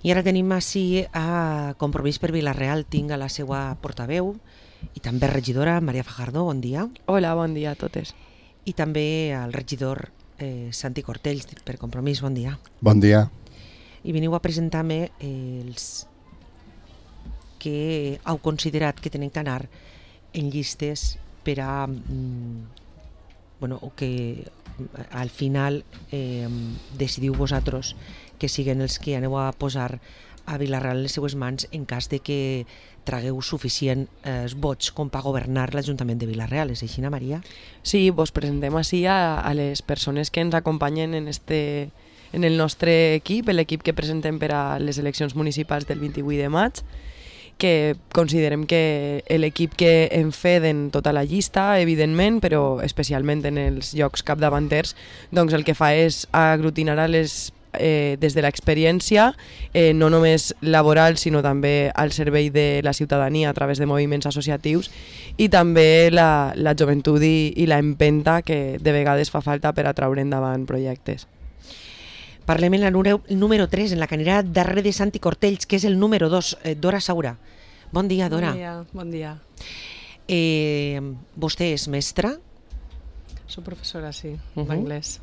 I ara tenim així a Compromís per Vila-real, tinc a la seva portaveu i també regidora, Maria Fajardo, bon dia. Hola, bon dia a totes. I també al regidor Santi Cortells, per Compromís, bon dia. Bon dia. I veniu a presentar-me els que heu considerat que tenen que anar en llistes per a o que al final decidiu vosaltres que siguen els que aneu a posar a Vila-real les seues mans en cas de que tragueu suficient vots com per governar l'Ajuntament de Vila-real. És així, Maria? Sí, vos presentem així a les persones que ens acompanyen en el nostre equip, l'equip que presentem per a les eleccions municipals del 28 de maig, que considerem que l'equip que en feden tota la llista, evidentment, però especialment en els llocs capdavanters, doncs el que fa és aglutinar a les des de l'experiència, no només laboral, sinó també al servei de la ciutadania a través de moviments associatius, i també la joventut i la empenta que de vegades fa falta per a traure endavant projectes. Parlem en la número 3, en la que anirà darrere de Santi Cortells, que és el número 2, Dora Saura. Bon dia, Dora. Bon dia. Vostè és mestra? Soc professora, sí, d'anglès.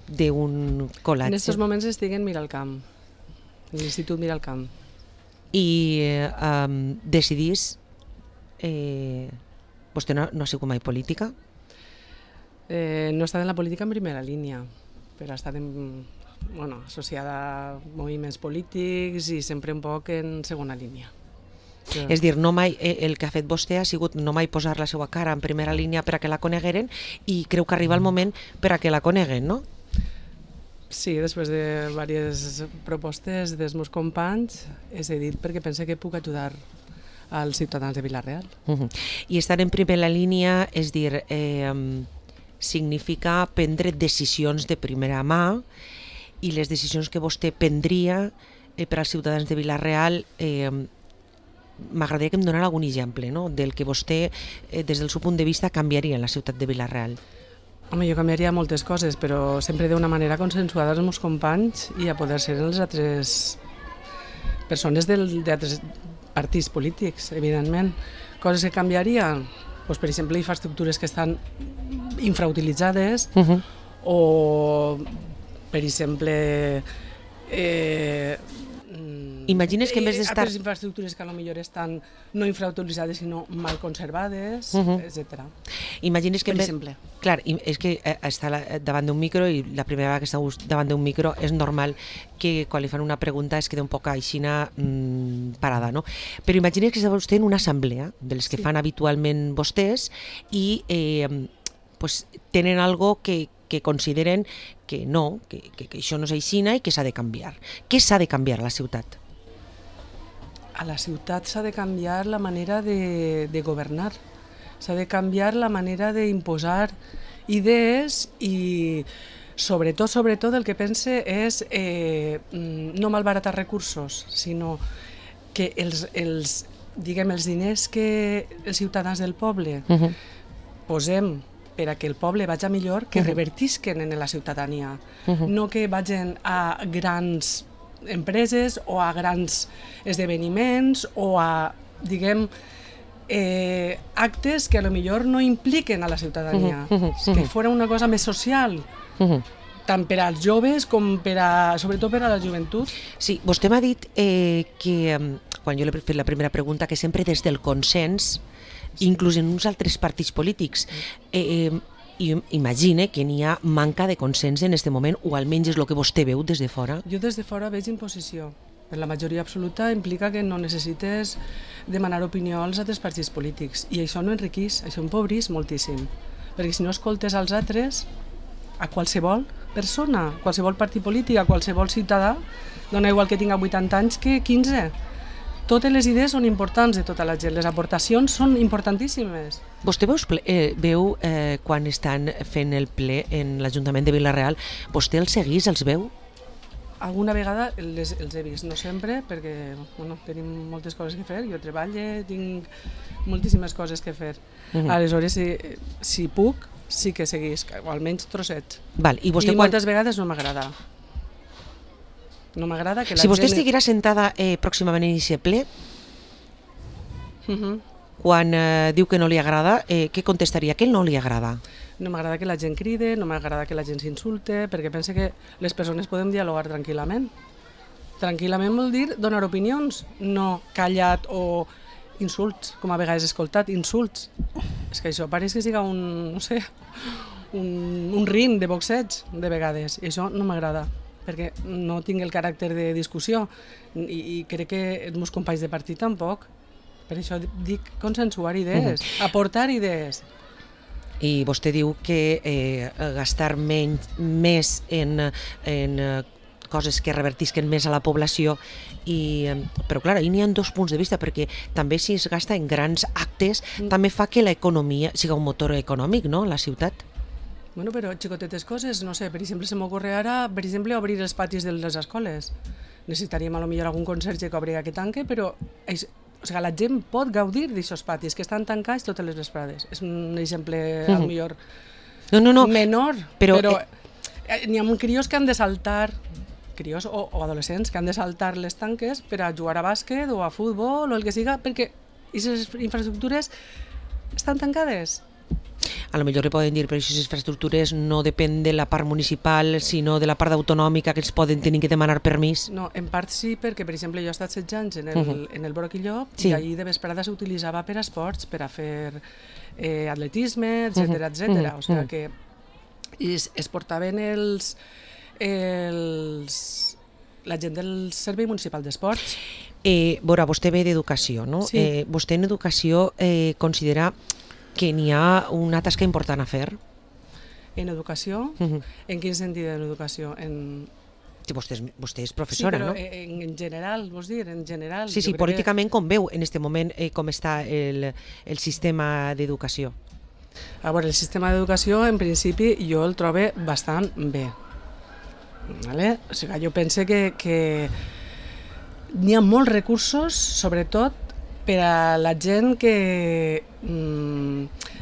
D'un col·latge. En aquests moments estic en Miralcamp, en l'Institut Miralcamp. I decidís... Vostè no ha sigut mai política? No he estat en la política en primera línia, però he estat associada a moviments polítics i sempre un poc en segona línia. És dir, el que ha fet vostè ha sigut no mai posar la seva cara en primera línia per a que la conegueren, i creu que arriba el moment per a que la coneguen, no? Sí, després de diverses propostes dels meus companys he cedit perquè pense que puc ajudar als ciutadans de Vila-real. I estar en primera línia, és dir, significa prendre decisions de primera mà, i les decisions que vostè prendria per als ciutadans de Vila-real, m'agradaria que em donara algun exemple, no?, del que vostè, des del seu punt de vista, canviaria en la ciutat de Vila-real. Home, jo canviaria moltes coses, però sempre d'una manera consensuada als meus companys i a poder ser les altres persones d'altres partits polítics, evidentment. Coses que canviaria, doncs, per exemple, infraestructures que estan infrautilitzades, o, per exemple, imagines que en vez d'estar... altres infraestructures que potser estan no infrautilitzades sinó mal conservades, etc. Imagines que per exemple. Clar, és que està davant d'un micro, i la primera vegada que esteu davant d'un micro és normal que quan li fan una pregunta es queda un poc aixina parada, no? Però imagines que està vostè en una assemblea dels que fan habitualment vostès i tenen algo que consideren que no, que això no és aixina i que s'ha de canviar. Què s'ha de canviar a la ciutat? A la ciutat s'ha de canviar la manera de governar, s'ha de canviar la manera d'imposar idees i sobretot el que pense és no malbaratar recursos, sinó que els diners que els ciutadans del poble posem per a que el poble vagi millor, que revertisquen en la ciutadania, no que vagin a grans empreses o a grans esdeveniments o a, actes que a lo millor no impliquen a la ciutadania, que fora una cosa més social, tant per als joves com sobretot per a la joventut. Sí, vostè m'ha dit que, quan jo li he fet la primera pregunta, que sempre des del consens, inclús en uns altres partits polítics, imagine que n'hi ha manca de consens en aquest moment, o almenys és el que vostè veu des de fora. Jo des de fora veig imposició. Per la majoria absoluta implica que no necessites demanar opinió als altres partits polítics, i això no enriquís, això empobrís moltíssim, perquè si no escoltes als altres, a qualsevol persona, qualsevol partit polític, a qualsevol ciutadà, dona igual que tinga 80 anys que 15. Totes les idees són importants de tota la gent, les aportacions són importantíssimes. Vostè veu quan estan fent el ple en l'Ajuntament de Vila-real, vostè els seguís, els veu? Alguna vegada els he vist, no sempre, perquè tenim moltes coses que fer, jo treballo, tinc moltíssimes coses que fer. Aleshores, si puc, sí que seguís, o almenys trossets. I moltes vegades no m'agrada. No m'agrada que la Si vostè gent... estiguera sentada pròximament en aquest ple, quan diu que no li agrada, què contestaria? Què no li agrada? No m'agrada que la gent cride, no m'agrada que la gent s'insulte, perquè pense que les persones podem dialogar tranquil·lament. Tranquil·lament vol dir donar opinions, no callat o insults, com a vegades he escoltat, insults. És que això pareix que siga un, no sé, un ring de boxeig, de vegades, i això no m'agrada, perquè no tinc el caràcter de discussió i crec que els meus companys de partit tampoc. Per això dic consensuar idees, aportar idees. I vostè diu que gastar més en coses que revertisquen més a la població, però clar, ahir n'hi ha dos punts de vista, perquè també si es gasta en grans actes també fa que l'economia siga un motor econòmic, no?, la ciutat. Bueno, però xicotetes coses, no sé, per exemple, se m'ocorre ara, per exemple, obrir els patis de les escoles. Necessitaríem potser algun conserge que obri aquest tanque, però la gent pot gaudir d'aquests patis que estan tancats totes les vesprades. És un exemple, potser menor, però n'hi ha crios que han de saltar, crios o adolescents que han de saltar les tanques per a jugar a bàsquet o a futbol o el que siga, perquè aquestes infraestructures estan tancades. A lo millor li poden dir, però aquestes infraestructures no depèn de la part municipal, sinó de la part autonòmica, que els poden tenir que demanar permís. No, en part sí, perquè, per exemple, jo he estat 16 anys en el Broc i Llop, i allí de vesprada s'utilitzava per a esports, per a fer atletisme, etcètera. O sigui que es portaven la gent del Servei Municipal d'Esports. Veurà, vostè ve d'educació, no? Sí. Vostè en educació considera que n'hi ha una tasca important a fer? En educació? En quin sentit en educació? Vostè és professora, no? Sí, però en general, vols dir? En general. Sí, políticament com veu en aquest moment com està el sistema d'educació? A veure, el sistema d'educació, en principi, jo el trobo bastant bé. Vale? O sigui, jo penso que n'hi ha molts recursos, sobretot per a la gent que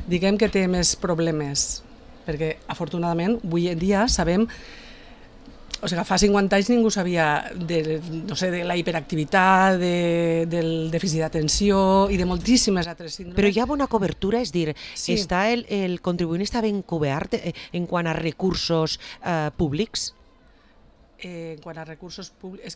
diguem que té més problemes, perquè afortunadament avui en dia sabem, o sigui, fa 50 anys ningú sabia de la hiperactivitat, del dèficit d'atenció i de moltíssimes altres síndromes. Però hi ha bona cobertura, és dir, està el contribuent està ben cobert en quant a recursos públics? En quant a recursos públics...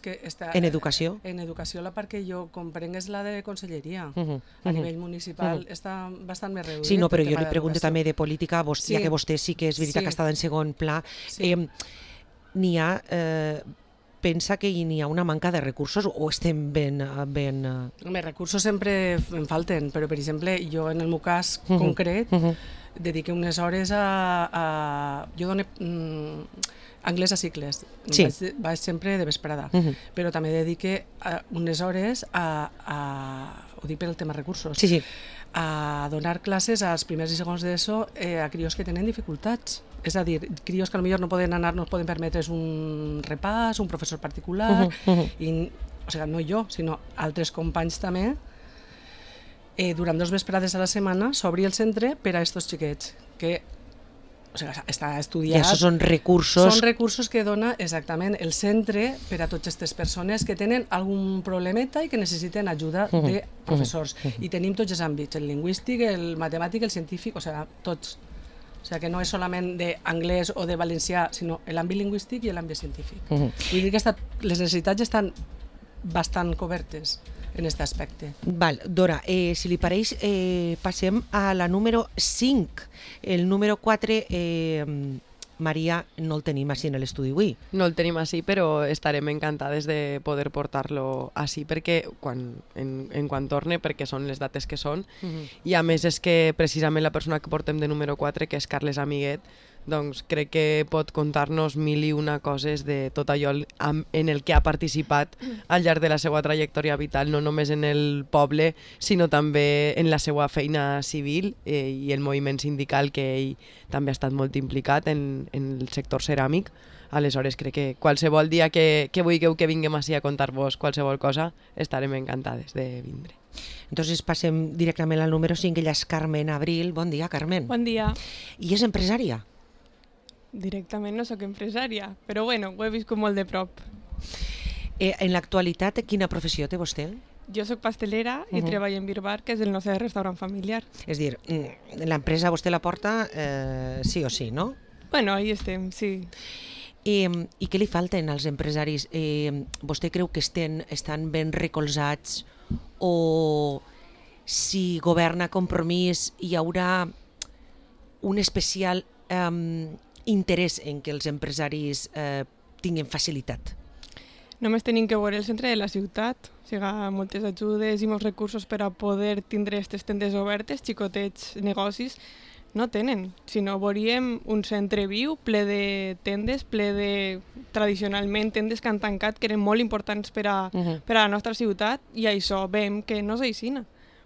En educació? En educació la part que jo comprenc és la de conselleria. A nivell municipal està bastant més reduït. Sí, no, però jo li pregunto també de política, ja que vostè sí que és veritat que està en segon pla. N'hi ha... pensa que n'hi ha una manca de recursos o estem ben... Recursos sempre en falten, però per exemple jo en el meu cas concret dediqué unes hores a... Jo dono anglès a cicles, vaig sempre de vesprada, però també dedique unes hores ho dic per el tema recursos, a donar classes als primers i segons d'ESO a crios que tenen dificultats. És a dir, crios que potser no poden anar, no poden permetre's un repàs, un professor particular, o sigui, no jo, sinó altres companys també, durant 2 vesprades a la setmana s'obri el centre per a aquests xiquets, que està estudiat. I això són recursos... Són recursos que dona exactament el centre per a totes aquestes persones que tenen algun problemeta i que necessiten ajuda de professors. I tenim tots els àmbits, el lingüístic, el matemàtic, el científic, o sigui, tots. O sigui, que no és solament d'anglès o de valencià, sinó l'àmbit lingüístic i l'àmbit científic. Vull dir que les necessitats estan bastant cobertes en aquest aspecte. Val, Dora, si li pareix, passem a la número 5. El número 4, Maria, no el tenim així en l'estudi avui. No el tenim així, però estarem encantades de poder portar-lo així perquè en quan torne, perquè són les dates que són, i a més és que precisament la persona que portem de número 4, que és Carles Amiguet, doncs crec que pot contar-nos 1001 coses de tot allò en el que ha participat al llarg de la seva trajectòria vital, no només en el poble, sinó també en la seva feina civil i el moviment sindical, que ell també ha estat molt implicat en el sector ceràmic. Aleshores crec que qualsevol dia que vulgueu que vinguem així a contar-vos qualsevol cosa, estarem encantades de vindre. Entonces passem directament al número 5, ella és Carmen Abril. Bon dia, Carmen. Bon dia. I és empresària? Directament no sóc empresària, però bueno, ho he viscut molt de prop. En l'actualitat, quina professió té vostè? Jo sóc pastelera i treballo en Birbar, que és el nostre restaurant familiar. És dir, l'empresa vostè la porta sí o sí, no? Bueno, ahí estem, sí. I què li falten als empresaris? Vostè creu que estan ben recolzats o si governa Compromís hi haurà un especial interès en que els empresaris tinguin facilitat? Només tenim que veure el centre de la ciutat, o sigui, moltes ajudes i molts recursos per a poder tindre aquestes tendes obertes, xicotets negocis, no tenen. Si no, veuríem un centre viu, ple de tendes, ple de, tradicionalment, tendes que han tancat, que eren molt importants per a la nostra ciutat, i això veiem que no és així.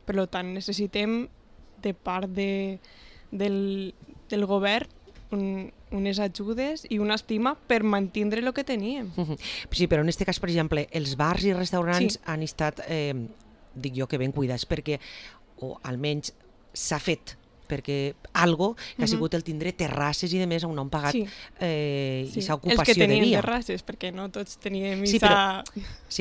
Per tant, necessitem, de part del govern, unes ajudes i una estima per mantindre el que teníem. Sí, però en aquest cas, per exemple, els bars i restaurants han estat, dic jo, que ben cuidats, perquè, o almenys s'ha fet, perquè algo que ha sigut el tindre terrasses i de més on han pagat i sa ocupació de dia. Els que tenien terrasses, perquè no tots teníem Sí,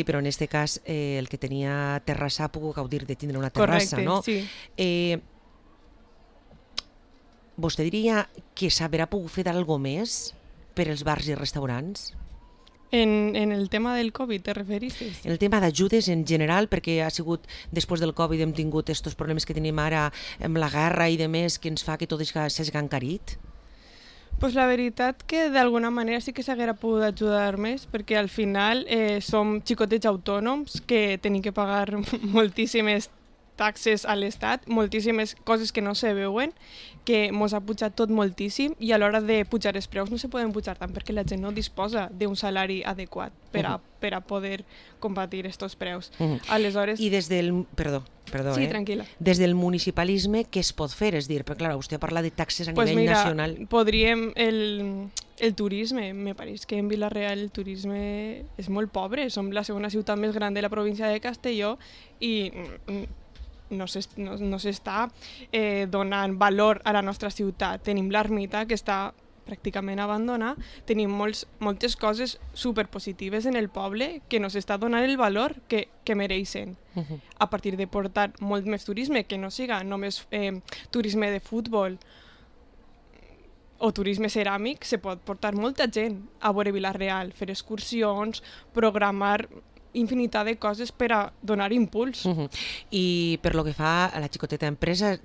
però en aquest cas el que tenia terrassa ha pogut gaudir de tindre una terrassa, no? Correcte, sí. Vostè diria que s'haurà pogut fer d'algo més per als bars i restaurants? En el tema del Covid, te referissis? En el tema d'ajudes en general, perquè ha sigut, després del Covid hem tingut aquests problemes que tenim ara amb la guerra i de més, que ens fa que tot s'hagi encarit? Pues la veritat que d'alguna manera sí que s'haguera pogut ajudar més, perquè al final som xicotets autònoms que tenim que pagar moltíssimes taxes a l'Estat, moltíssimes coses que no se veuen, que mos ha pujat tot moltíssim i a l'hora de pujar els preus no se poden pujar tant perquè la gent no disposa d'un salari adequat per a poder combatir aquests preus. Aleshores... I des del... Perdó, sí, tranquil·la. Des del municipalisme què es pot fer? És dir, perquè clar, vostè parla de taxes a nivell nacional. Podríem... El turisme, me pareix que en Vila-real el turisme és molt pobre. Som la segona ciutat més gran de la província de Castelló i no s'està donant valor a la nostra ciutat. Tenim l'ermita, que està pràcticament abandonada, tenim moltes coses superpositives en el poble que no s'està donant el valor que mereixen. A partir de portar molt més turisme, que no siga només turisme de futbol o turisme ceràmic, se pot portar molta gent a veure Vila-real, fer excursions, programar infinitat de coses per a donar impuls. I per lo que fa a la xicoteta empresa,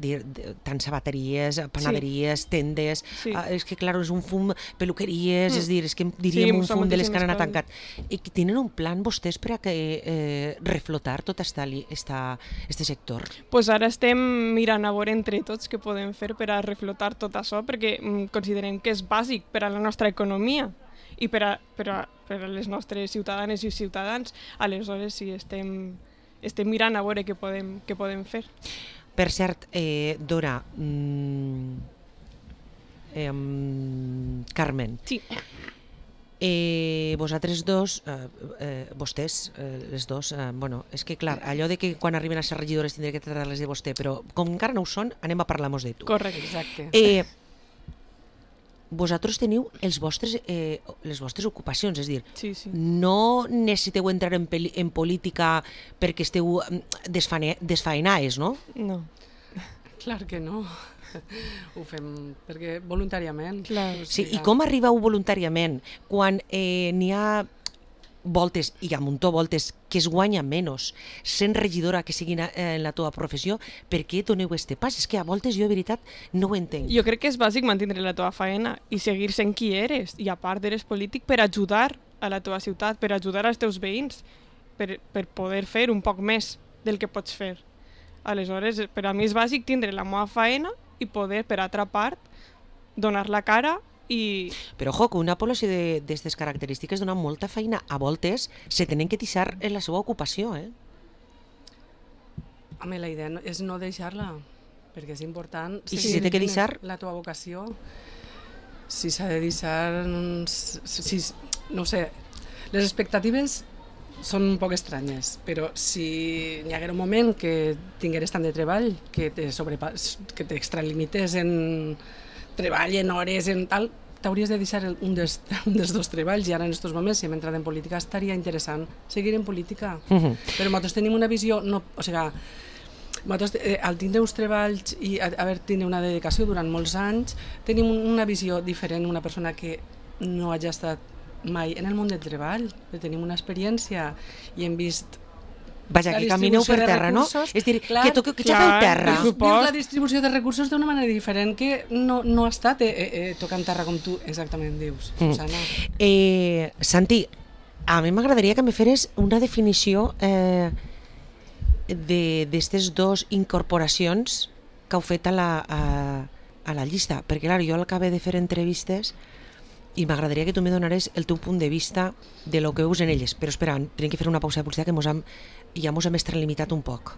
tant sabateries, panaderies, tendes, és que clar, és un fum, peluqueries, és dir, és que diríem un fum de les que han anat tancat. I tenen un plan vostès per a que reflotar tot este sector? Pues ara estem mirant a veure entre tots què podem fer per a reflotar tot això, perquè considerem que és bàsic per a la nostra economia i per a les nostres ciutadanes i ciutadans. Aleshores sí, estem mirant a veure què podem fer. Per cert, Dora, Carmen, sí. Vosaltres dos, vostès, les dos, bueno, és que clar, allò de que quan arriben a ser regidores tindré que tractar-les de vostè, però com encara no ho són, anem a parlar-nos de tu. Correcte, exacte. Vosaltres teniu les vostres ocupacions, és dir, sí. No necessiteu entrar en política perquè esteu desfaenades, no? No. Clar que no. Ho fem perquè voluntàriament. Clar. Sí, i com arribeu voluntàriament quan n'hi ha voltes, i a muntó voltes, que es guanya menys sent regidora que siguin en la teva professió? Per què doneu este pas? És que a voltes jo, de veritat, no ho entenc. Jo crec que és bàsic mantindre la teva feina i seguir sent qui eres, i a part eres polític per ajudar a la teva ciutat, per ajudar als teus veïns, per poder fer un poc més del que pots fer. Aleshores, per a mi és bàsic tindre la meva feina i poder, per altra part, donar la cara i... Però, ojo, que una població d'aquestes característiques dona molta feina. A voltes se tenen que deixar en la seva ocupació, Home, la idea és no deixar-la, perquè és important... I si s'ha de deixar? La teva vocació, si s'ha de deixar... no sé, les expectatives són un poc estranyes, però si hi haguera un moment que tingueres tant de treball, que t'extralimites en treball, en hores, en tal, t'hauries de deixar un dels dos treballs, i ara en aquests moments, si hem entrat en política, estaria interessant seguir en política. Però nosaltres tenim una visió, o sigui, nosaltres, al tindre uns treballs i haver tindre una dedicació durant molts anys, tenim una visió diferent, una persona que no hagi estat mai en el món del treball, tenim una experiència i hem vist Vaja, que camineu per terra, no? És dir, que xafeu terra. Vius la distribució de recursos d'una manera diferent que no ha estat tocant terra com tu exactament dius, Susana. Santi, a mi m'agradaria que me feres una definició d'aquestes dues incorporacions que heu fet a la llista, perquè clar, jo l'acabé de fer entrevistes i m'agradaria que tu me donares el teu punt de vista de lo que veus en elles, però espera, tenim que fer una pausa de publicitat que ja mos hem extralimitat un poc.